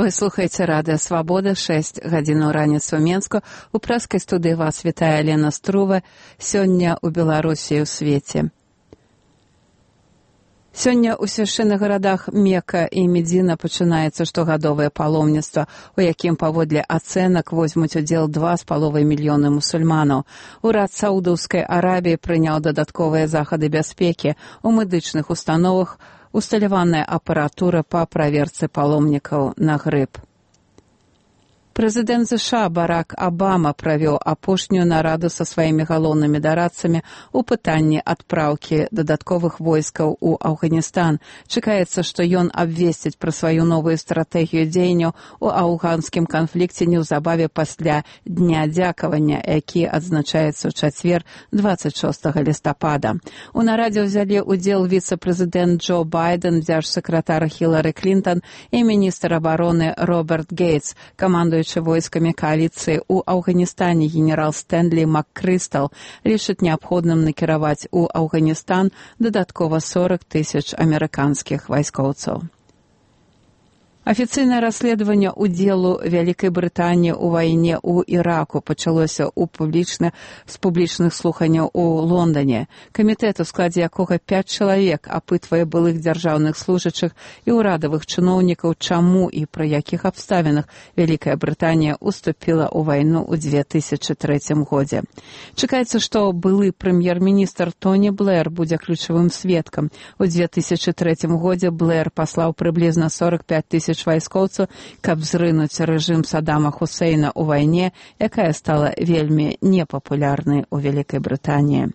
Вы слухаеце радыё «Свабода», 6 гадзінаў раніцы ў Менску. У прэскай студыі вас вітае Лена Струва. Сёння ў Беларусі і ў свеце. Сёння ў свяшчэнных гарадах Мека і Медзіна пачынаецца штогадовае паломніцтва, у якім паводле ацэнак возьмуць удзел 2,5 мільёны мусульманаў. Урад Саудаўскай Арабіі прыняў дадатковыя захады бяспекі. У медычных установах усталяваная апаратура па праверцы паломнікаў на грып. Прэзідэнт США Барак Абама правёў апошнюю нараду са сваімі галоўнымі дарадцамі ў пытанні адпраўкі дадатковых войскаў у Афганістан. Чакаецца, што ён абвесціць пра сваю новую стратэгію дзеянняў у афганскім канфлікце неўзабаве пасля Дня дзякавання, які адзначаецца ў чацвер 26 лістапада. У нарадзе ўзялі ўдзел віцэ-прэзідэнт Джо Байден, дзяржсакратар Хілары Клінтон і міністр абароны Роберт Гейтс, камандуючы войскамі коаліцыі ў Афганістане генерал Стэнлі МакКрыстал лічыць неабходным накіраваць у Афганістан дадаткова 40 000 амерыканскіх вайскоўцаў. Афіцыйнае расследаванне ўдзелу Вялікай Брытаніі ў вайне ў Іраку пачалося з публічных слуханняў у Лондане. Камітэт, у складзе якога 5 чалавек, апытвае былых дзяржаўных служачых і ўрадавых чыноўнікаў, чаму і пры якіх абставінах Вялікая Брытанія уступіла ў вайну ў 2003 годзе. Чакаецца, што былы прэм'ер-міністр Тоні Блэр будзе ключавым сведкам. У 2003 годзе Блэр паслаў прыблізна 45 000 вайскоўцаў, каб зрынуць рэжым Саддама Хусейна ў вайне, якая стала вельмі непапулярнай у Вялікай Брытаніі.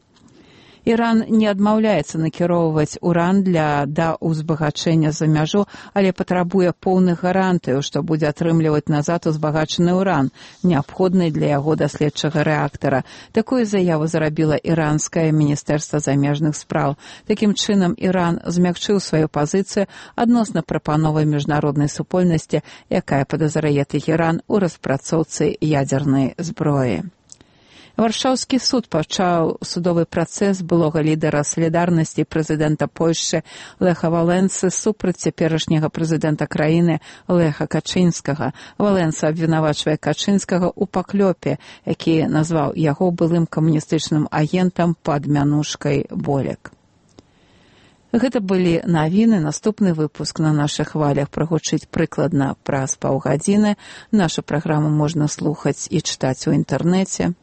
Іран не адмаўляецца накіроўваць уран да ўзбагачэння за мяжу, але патрабуе поўных гарантыяў, што будзе атрымліваць назад узбагачаны ўран, неабходны для яго даследчага рэактара. Такую заяву зрабіла іранскае міністэрства замежных спраў. Такім чынам, Іран змякчыў сваю пазіцыю адносна прапановы міжнароднай супольнасці, якая падазрае Тэхеран у распрацоўцы ядзернай зброі. Варшаўскі суд пачаў судовы працэс былога лідара салідарнасці прэзідэнта Польшчы Леха Валенсы супраць цяперашняга прэзідэнта краіны Леха Качынскага. Валенса абвінавачвае Качынскага ў паклёпе, які назваў яго былым камуністычным агентам пад мянушкай Болек. Гэта былі навіны. Наступны выпуск на нашых хвалях прагучыць прыкладна праз паўгадзіны. Нашу праграму можна слухаць і чытаць у інтэрнэце.